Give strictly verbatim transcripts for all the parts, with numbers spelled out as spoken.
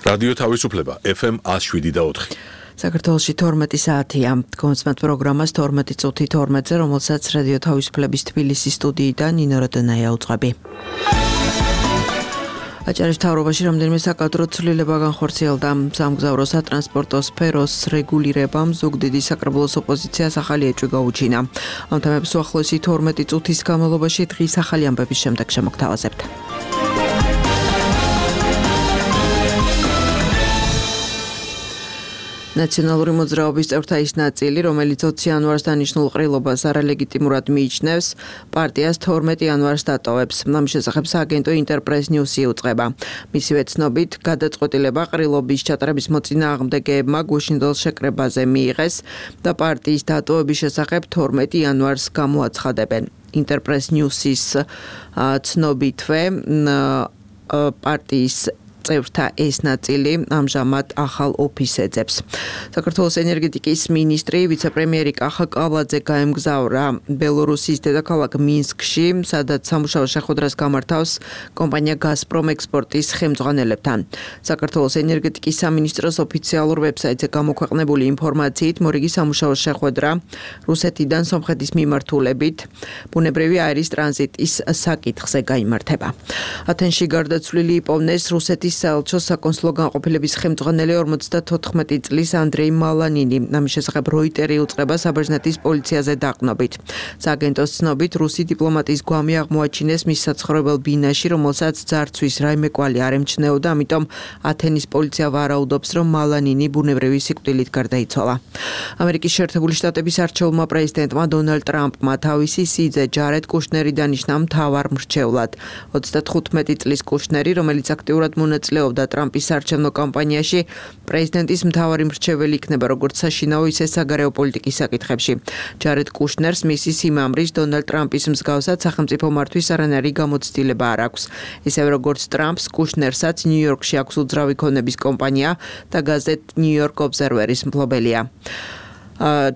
რადიო თავისუფლება ეფ ემ one oh seven და four. საქართველოში თორმეტი საათია. კონსმეთ პროგრამას თორმეტი წუთი თორმეტზე, რომელსაც რადიო თავისუფლების თბილისის სტუდიიდან ნინო როდონაია უძღვები. აჭარის მთავრობაში რამდენიმე საკადრო ცვლილება განხორციელდა. სამგზავრო სატრანსპორტო სფეროს რეგულირებამ ზუგდიდის საკრებულოს ოპოზიციას ახალი ეჭვი გაუჩინა. ამ თემებს უახლოესი თორმეტი წუთის განმავლობაში დღის ახალი ამბების შემდეგ შემოგთავაზებთ. ნაციონალური მოძრაობის წევრთა ის ნაწილი, რომელიც ოცი იანვარს დანიშნულ ყრილობას არალეგიტიმურად მიიჩნევს, პარტიას თორმეტი იანვარს დატოვებს. ამის შესახებ სააგენტო ინტერპრეს ნიუსი უწყება. მისივე ცნობით, გადაწყვეტილება ყრილობის ჩატარების მოწინააღმდეგეებმა გუშინდელ შეკრებაზე მიიღეს და პარტიის დატოვების შესახებ თორმეტი იანვარს გამოაცხადებენ. ინტერპრეს ნიუსის ცნობითვე პარტიის წევრთა ეს ნაწილი ამჟამად ახალ ოფისს ეძებს. საქართველოს ენერგეტიკის მინისტრი ვიცე-პრემიერი კახა კავლაძე გაემგზავრა ბელორუსის დედაქალაქ მინსკში, სადაც სამუშაო შეხვედრას გამართავს კომპანია გაზპრომ ექსპორტის ხელმძღვანელებთან. საქართველოს ენერგეტიკის სამინისტროს ოფიციალურ ვებსაიტზე გამოქვეყნებული ინფორმაციით, მორიგი სამუშაო შეხვედრა რუსეთიდან სომხეთის მიმართულებით ბუნებრივი აირის ტრანზიტის საკითხზე გაიმართება. ათენში გარდაცვლილი იპოვნეს რუსეთის საელჩოს საკონსულო განყოფილების ხელმძღვანელი ორმოცდათოთხმეტი წლის ანდრეი მალანინი. ამის შესახებ როიტერი უწყება საბერძნეთის პოლიციაზე დაყრდნობით. სააგენტოს ცნობით, რუსი დიპლომატის გვამი აღმოაჩინეს მის საცხოვრებელ ბინაში, რომელსაც ძარცვის რაიმე კვალი არ ემჩნეოდა, ამიტომ ათენის პოლიცია ვარაუდობს, რომ მალანინი ბუნებრივი სიკვდილით გარდაიცვალა. ამერიკის შეერთებული შტატების არჩეულმა პრეზიდენტმა დონალდ ტრამპმა თავისი სიძე ჯარედ კუშნერი დანიშნა მთავარ მრჩევლად. ოცდათხუთმეტი წლის კუშნერი, რომელიც აქტიურად მონაწილეობდა ტრამპის საარჩევნო კამპანიაში, პრეზიდენტის მთავარი მრჩეველი იქნება როგორც საშინაო, ისე საგარეო პოლიტიკის საკითხებში. ჯარედ კუშნერს მისი სიმამრის დონალდ ტრამპის მსგავსად სახელმწიფო მართვის არანაირი გამოცდილება არ აქვს. ისევე როგორც ტრამპს, კუშნერსაც ნიუ-იორკში აქვს უძრავი ქონების კომპანია და გაზეთ ნიუ-იორკ ობზერვერის მფლობელია.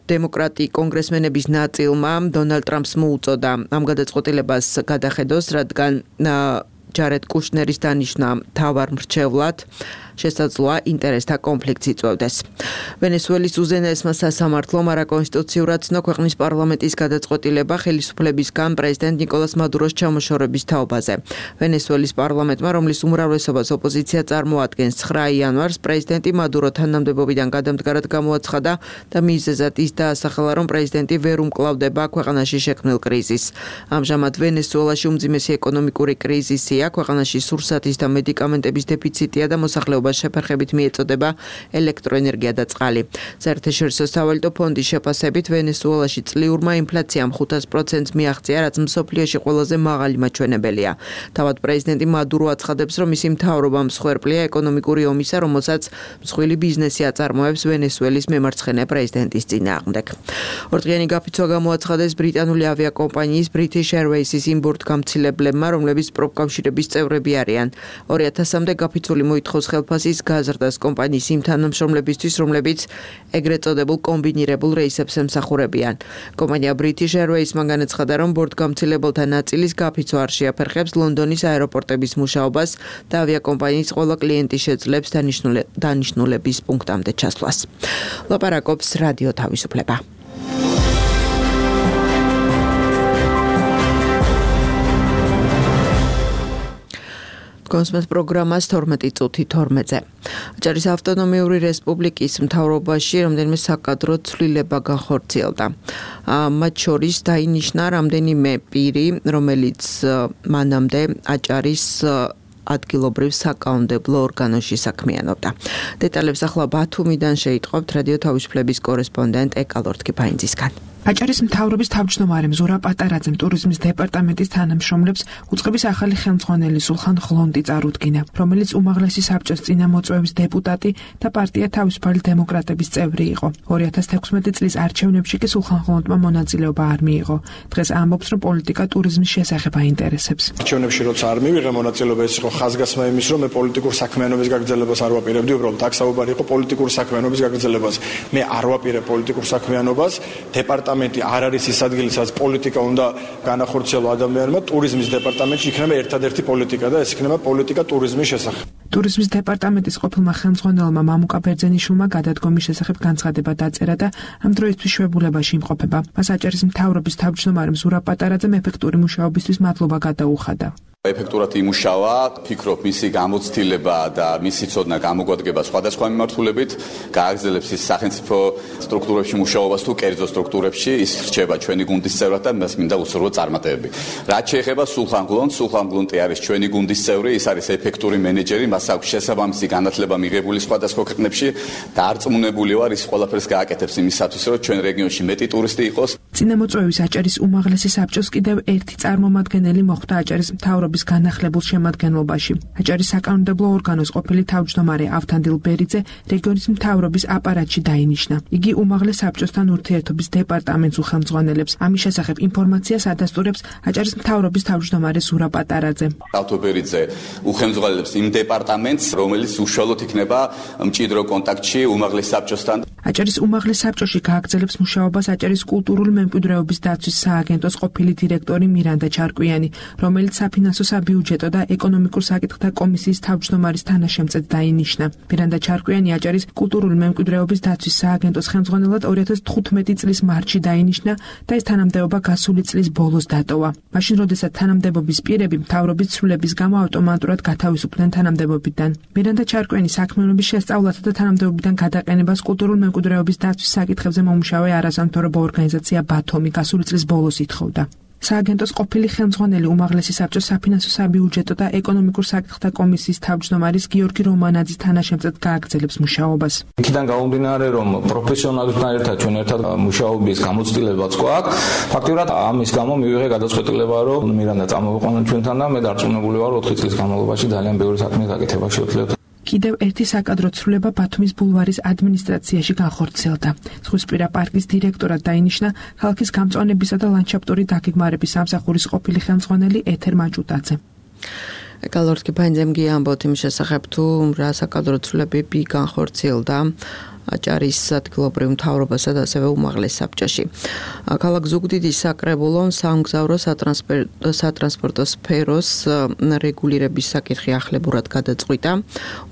დემოკრატი კონგრესმენების ნაწილმა დონალდ ტრამპს მოუწოდა ამ გადაწყვეტილებას გადახედოს, რადგან ჯარედ კუშნერის დანიშნა მთავარ მრჩევლად შესაძლოა ინტერესთა კონფლიქტს იწვევდეს. ვენესუელის უზენაესმა სასამართლომ არაკონსტიტუციურად ცნო ქვეყნის პარლამენტის გადაწყვეტილება ხელისუფლებისგან პრეზიდენტ ნიკოლას მადუროს ჩამოშორების თაობაზე. ვენესუელის პარლამენტმა, რომლის უმრავლესობას ოპოზიცია წარმოადგენს, ცხრა იანვარს პრეზიდენტი მადურო თანამდებობიდან გადამდგარად გამოაცხადა და მიზეზად ის დაასახელა, რომ პრეზიდენტი ვერ უმკლავდება ქვეყანაში შექმნილ კრიზისს. ამჟამად ვენესუელაში უმძიმესი ეკონომიკური კრიზისია, ქვეყანაში სურსათის და მედიკამენტების დეფიციტია და მოსახლეობა შეფერხებით მიეწოდება ელექტროენერგია და წყალი. საერთაშორისო სავალუტო ფონდის შეფასებით, ვენესუელაში წლიურმა ინფლაციამ ხუთას პროცენტს მიაღწია, რაც მსოფლიოში ყველაზე მაღალი მაჩვენებელია. თავად პრეზიდენტი მადურო აცხადებს, რომ მისი მთავრობა მსხვერპლია ეკონომიკური ომისა, რომელსაც მსხვილი ბიზნესი აწარმოებს ვენესუელის მემარცხენე პრეზიდენტის წინააღმდეგ. ორდღიანი გაფიცვა გამოაცხადეს ბრიტანული ავიაკომპანიის British Airways-ის იმ ბორტგამცილებლებმა, რომლებიც პროფკავშირების წევრები არიან. ორი ათასამდე გაფიცვული მოითხოვს ხელფასის გაზრდას კომპანიის იმ თანამშრომლებისთვის, რომლებიც ეგრეთ წოდებულ კომბინირებულ რეისებს ემსახურებიან. კომპანია British Airways-მა განაცხადა, რომ ბორტგამცილებელთა ნაწილის გაფიცვა არ შეაფერხებს ლონდონის აეროპორტების მუშაობას და ავიაკომპანიის ყველა კლიენტი შეძლებს დანიშნულების პუნქტამდე ჩასვლას. ლაპარაკობს რადიო თავისუფლება. კონსმეთ პროგრამას თორმეტი წუთი თორმეტზე. აჭარის ავტონომიური რესპუბლიკის მთავრობაში რამდენიმე საკადრო ცვლილება განხორციელდა. მათ შორის დაინიშნა რამდენიმე პირი, რომელიც მანამდე აჭარის ადგილობრივ საკანონმდებლო ორგანოში საქმიანობდა. დეტალებს ახლა ბათუმიდან შეიტყობთ რადიო თავისუფლების კორესპონდენტ ეკალორთ კიფაინძისგან. აჭარის მთავრობის თავმჯდომარე ზურა პატარაძემ ტურიზმის დეპარტამენტის თანამშრომლებს უწყების ახალი ხელმძღვანელი სულხან ღლონტი წარუდგინა, რომელიც უმაღლესი საბჭოს წინამოწვევის დეპუტატი და პარტია თავისუფალი დემოკრატების წევრი იყო. ორი ათას თექვსმეტი წლის არჩევნებში კი სულხან ღლონტმა მონაწილეობა არ მიიღო. დღეს ამბობს, რომ პოლიტიკა ტურიზმის შესახებ აინტერესებს. არჩევნებში როცა არ მივიღე მონაწილეობა, ეს იყო ხაზგასმა იმის, რომ მე პოლიტიკურ საქმიანობის გაგრძელებას არ ვაპირებდი, უბრალოდ აქ საუბარი იყო პოლიტიკური საქმიანობის გაგრძელებაზე. მე არ ვაპირებ პოლიტიკურ საქმიანობას, დეპარტამენტი დეპარტამენტი არ არის ის ადგილი, სადაც პოლიტიკა უნდა განახორციელო ადამიანმა, ტურიზმის დეპარტამენტში იქნება ერთადერთი პოლიტიკა და ეს იქნება პოლიტიკა ტურიზმის შესახებ. ტურიზმის დეპარტამენტის ყოფილმა ხელმძღვანელმა მამუკა ბერძენიშვილმა გადადგომის შესახებ განცხადება დაწერა და ამ დროისთვის შვებულებაში იმყოფება. მას აჭარის მთავრობის თავმჯდომარემ ზურაბ პატარაძემ ეფექტური მუშაობისთვის მადლობა გადაუხადა. ეფექტურად იმუშავა, ფიქრობ მისი გამოცდილება და მისი ცოდნა გამოგვადგება სხვადასხვა მიმართულებით, გააგრძელებს ის სახელმწიფო სტრუქტურებში მუშაობას თუ კერძო სტრუქტურებში, ის რჩება ჩვენი გუნდის წევრად და მას მინდა უსურვო წარმატებები. რაც შეეხება სულხან გლონს, სულხან გლონტი არის ჩვენი გუნდის წევრი, ის არის ეფექტური მენეჯერი, მას აქვს შესაბამისი განათლება მიღებული სხვადასხვა ქვეყნებში და არწმუნებული ვარ, ის ყველაფერს გააკეთებს იმისათვის, რომ ჩვენ რეგიონში მეტი ტურისტი იყოს. წინამოწვევის აჭარის უმაღლესი საბჭოს კიდევ ერთი წარმომადგენელი მოხვდა აჭარის მთავრობის განახლებულ შემადგენლობაში. აჭარის საკანონმდებლო ორგანოს ყოფილი თავმჯდომარე ავთანდილ ბერიძე რეგიონის მთავრობის აპარატში დაინიშნა. იგი უმაღლეს საბჭოსთან ურთიერთობის დეპარტამენტს უხელმძღვანელებს. ამის შესახებ ინფორმაციას ადასტურებს აჭარის მთავრობის თავმჯდომარე ზურაბ პატარაძე. ავთო ბერიძე უხელმძღვანელებს იმ დეპარტამენტს, რომელიც უშუალოდ იქნება მჭიდრო კონტაქტში უმაღლეს საბჭოსთან. აჭარის უმაღლეს საბჭოში გააგრძელებს მუშაობას აჭარის კულტურული მემკვიდრეობის დაცვის სააგენტოს ყოფილი დირექტორი მირანდა ჩარკვიანი, რომელიც საფინანსო საბიუჯეტო და ეკონომიკურ საკითხთა კომისიის თავმჯდომარის თანაშემწედ დაინიშნა. მირანდა ჩარკვიანი აჭარის კულტურული მემკვიდრეობის დაცვის სააგენტოს ხელმძღვანელად ორი ათას თხუთმეტი წლის მარტში დაინიშნა და ეს თანამდებობა გასული წლის ბოლოს დატოვა. მაშინ, როდესაც თანამდებობის პირები მთავრობის ცვლილების გამო ავტომატურად გათავისუფლდნენ თანამდებობიდან. მირანდა ჩარკვიანი საქმიანობის შესწავლათა და თანამდებობიდან გადაყენებას კულტურულ მემკვიდრეობის დაცვის საკითხებზე მომუშავე არასამთავრობო ორგანიზაცია ბათომი გასული წლის ბოლოს ითხოვდა. სააგენტოს ყოფილი ხელმძღვანელი უმაღლესი საბჭოს საფინანსო საბიუჯეტო და ეკონომიკურ საკითხთა კომისიის თავმჯდომარის გიორგი რომანაძის თანაშემწედ გააგრძელებს მუშაობას. იქიდან გამომდინარე, რომ პროფესიონალებთან ერთად ჩვენ ერთად მუშაობის გამოცდილებაც გვაქვს, ფაქტობრივად ამის გამო მივიღე გადაწყვეტილება, რომ მირანდა წამოვიყვანა ჩვენთან და მე დარწმუნებული ვარ, ოთხი წლის განმავლობაში ძალიან ბევრი საქმე გაკეთება შევძლებთ. კიდევ ერთი საკადრო ცვლილება ბათუმის ბულვარის ადმინისტრაციაში განხორციელდა. ზღვისპირა პარკის დირექტორად დაინიშნა ქალაქის გამწვანებისა და ლანდშაფტური დაგეგმარების სამსახურის ყოფილი ხელმძღვანელი ეთერ მაჭუტაძე. გალორდ კიფაინძემ გიამბოთ იმ შესახებ, თუ რა საკადრო ცვლილებები განხორციელდა აჭარის ადგილობრივ მთავრობასა და ასევე უმაღლეს საბჭოში. ქალაქ ზუგდიდის საკრებულომ სამგზავრო სატრანსპორტო სფეროს რეგულირების საკითხი ახლებურად გადაწყვიტა.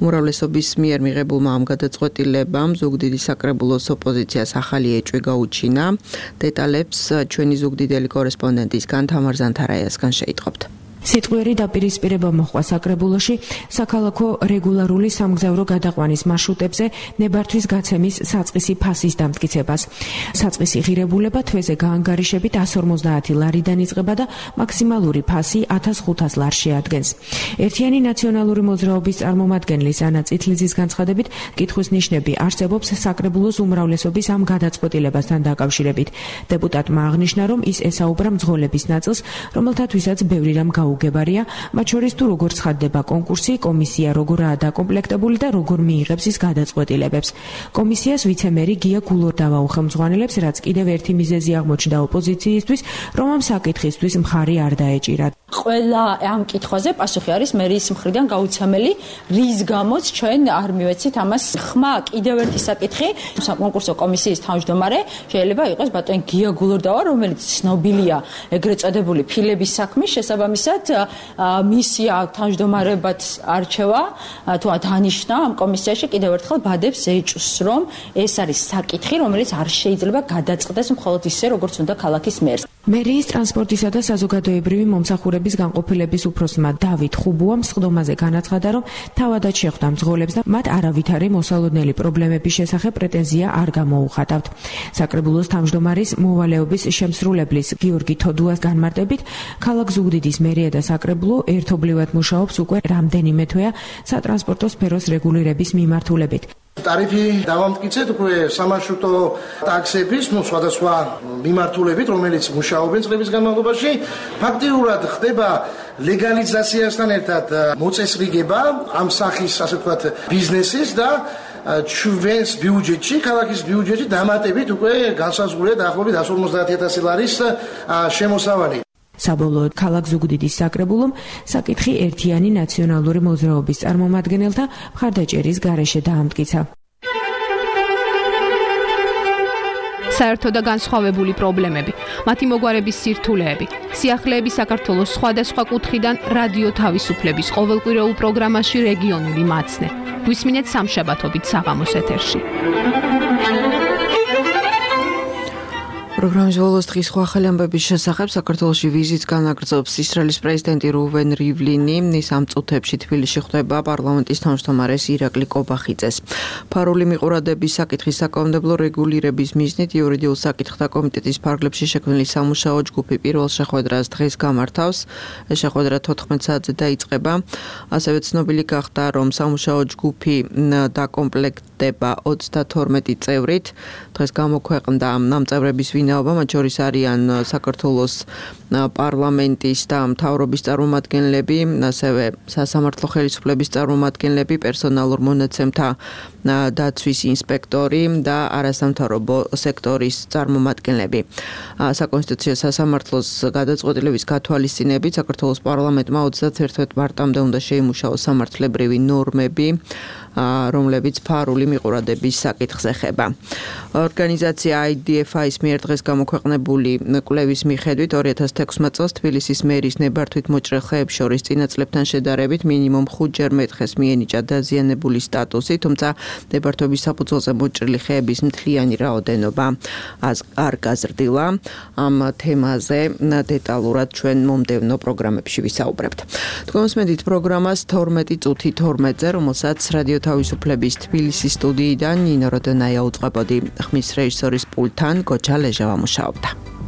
უმრავლესობის მიერ მიღებულმა ამ გადაწყვეტილებამ ზუგდიდის საკრებულოს ოპოზიციას ახალი ეჭვი გაუჩინა. დეტალებს ჩვენი ზუგდიდელი კორესპონდენტისგან თამარ ზანთარაიასგან შეიტყობთ. სიტყვიერი დაპირისპირება მოხდა საკრებულოში საქალაქო რეგულარული სამგზავრო გადაყვანის მარშრუტებზე ნებართვის გაცემის საწყისი ფასის დამტკიცებას. საწყისი ღირებულება თვეზე გაანგარიშებით εκατს ორმოცდაათი ლარიდან იწყება და მაქსიმალური ფასი ათას ხუთას ლარს შეადგენს. ერთიანი ნაციონალური მოძრაობის წარმომადგენლის ანა წითლიძის განცხადებით, კითხვის ნიშნები არსებობს საკრებულოს უმრავლესობის ამ გადაწყვეტილებასთან დაკავშირებით. დეპუტატმა აღნიშნა, რომ ის ესაუბრა მძღოლების ნაწილს, რომელთათვისაც ბევრი რამ გაუგებარია, მათ შორის თუ როგორ ცხადდება კონკურსი, კომისია როგორაა დაკომპლექტებული და როგორ მიიღებს ის გადაწყვეტილებებს. კომისიას ვიცემერი გია გულორდავა უხელმძღვანელებს, რაც კიდევ ერთი მიზეზი აღმოჩნდა ოპოზიციისთვის, რომ ამ საკითხისთვის მხარი არ დაეჭირა. ყველა ამ კითხვაზე პასუხი არის მერის მხრიდან გაუცემელი, რის გამოც ჩვენ არ მივეცით ამას ხმა. კიდევ ერთი საკითხი, საკონკურსო კომისიის თავმჯდომარე შეიძლება იყოს ბატონი გია გულორდავა, რომელიც ცნობილია ეგრეთ წოდებული ფილების საქმის შესაბამისად მისია თავმჯდომარებად არჩევა თუ დანიშნა ამ კომისიაში კიდევ ერთხელ ბადებს ეჭვს, რომ ეს არის საკითხი, რომელიც არ შეიძლება გადაწყდეს მხოლოდ ისე, როგორც უნდა ქალაქის მერს. მერიის ტრანსპორტისა და საზოგადოებრივი მომსახურების განყოფილების უფროსმა დავით ხუბუამ სხდომაზე განაცხადა, რომ თავადაც შეხვდა მძღოლებს და მათ არავითარი მოსალოდნელი პრობლემების შესახებ პრეტენზია არ გამოუხატავთ. საკრებულოს თავმჯდომარის მოვალეობის შემსრულებლის გიორგი თოდუას განმარტებით, ქალაქ ზუგდიდის მერია და საკრებულო ერთობლივად მუშაობს უკვე რამდენიმე თვეა სატრანსპორტო სფეროს რეგულირების მიმართულებით. ტარიფი დავამტკიცეთ უკვე სამარშრუტო ტაქსების, ну, სხვადასხვა მიმართულებით, რომელიც მუშაობენ წლების განმავლობაში. ფაქტიურად ხდება ლეგალიზაციასთან ერთად მოწესრიგება ამ სახის, ასე ვთქვათ, ბიზნესის და ჩვენს ბიუჯეტში, ქალაქის ბიუჯეტში დამატებით უკვე განსაზღვრულია დაახლოებით εκατს ორმოცდაათი ათასი ლარის შემოსავალი. საბოლოოდ ქალაქ ზუგდიდის საკრებულომ საკითხი ერთიანი ნაციონალური მოძრაობის წარმომადგენელთა მხარდაჭერის გარეშე დაამტკიცა. საერთო და განსხვავებული პრობლემები, მათი მოგვარების სირთულეები, სიახლეები საქართველოს სხვადასხვა კუთხიდან რადიო თავისუფლების ყოველკვირეულ პროგრამაში რეგიონული მაცნე. გვისმინეთ სამშაბათობით საღამოს ეთერში. პროგრამის ბოლოს დღის ახალი ამბების შესახებ საქართველოში ვიზიტს განაგრძობს ისრაელის პრეზიდენტი რუვენ რივლინი. ის ამ წუთებში თბილისში ხვდება პარლამენტის თავმჯდომარეს ირაკლი კობახიძეს. ფარული მიყურადების საკითხის საკანონმდებლო რეგულირების მიზნით იურიდიულ საკითხთა კომიტეტის ფარგლებში შექმნილი სამუშაო ჯგუფი პირველ შეხვედრას დღეს გამართავს. ეს შეხვედრა თოთხმეტ საათზე დაიწყება. ასევე ცნობილი გახდა, რომ სამუშაო ჯგუფი დაკომპლექტდება ოცდათორმეტი წევრით. დღეს გამოქვეყნდა ამ წევრების ვინაობა, მათ შორის არიან საქართველოს პარლამენტის და მთავრობის წარმომადგენლები, ასევე სასამართლო ხელისუფლების წარმომადგენლები, პერსონალურ მონაცემთა დაცვის ინსპექტორი და არასამთავრობო სექტორის წარმომადგენლები. საკონსტიტუციო სასამართლოს გადაწყვეტილების გათვალისწინებით საქართველოს პარლამენტმა ოცდაათი მარტამდე უნდა შეიმუშაოს სამართლებრივი ნორმები, რომლებიც ფარული მიყურადების საკითხს ეხება. ორგანიზაცია I D F I-ის მიერ დღეს გამოქვეყნებული კვლევის მიხედვით ორი ათას თექვსმეტ წელს თბილისის მერის ნებართვით მოჭრილ ხეებს შორის წინა წლებთან შედარებით მინიმუმ ხუთჯერ მეთხეს მიენიჭა დაზიანებული სტატუსი, თუმცა ნებართვების საფუძველზე მოჭრილი ხეების მთლიანი რაოდენობა არ გაზრდილა. ამ თემაზე დეტალურად ჩვენ მომდევნო პროგრამებში ვისაუბრებთ. თქვენსმენთ პროგრამას თორმეტი წუთი თორმეტზე, რომელსაც რადიო თავისუფლების თბილისის სტუდიიდან ნინო როდონაია უწყებოდი. ხმის რეჟისორის პულტთან გოჩა ლეჟავა მუშაობდა.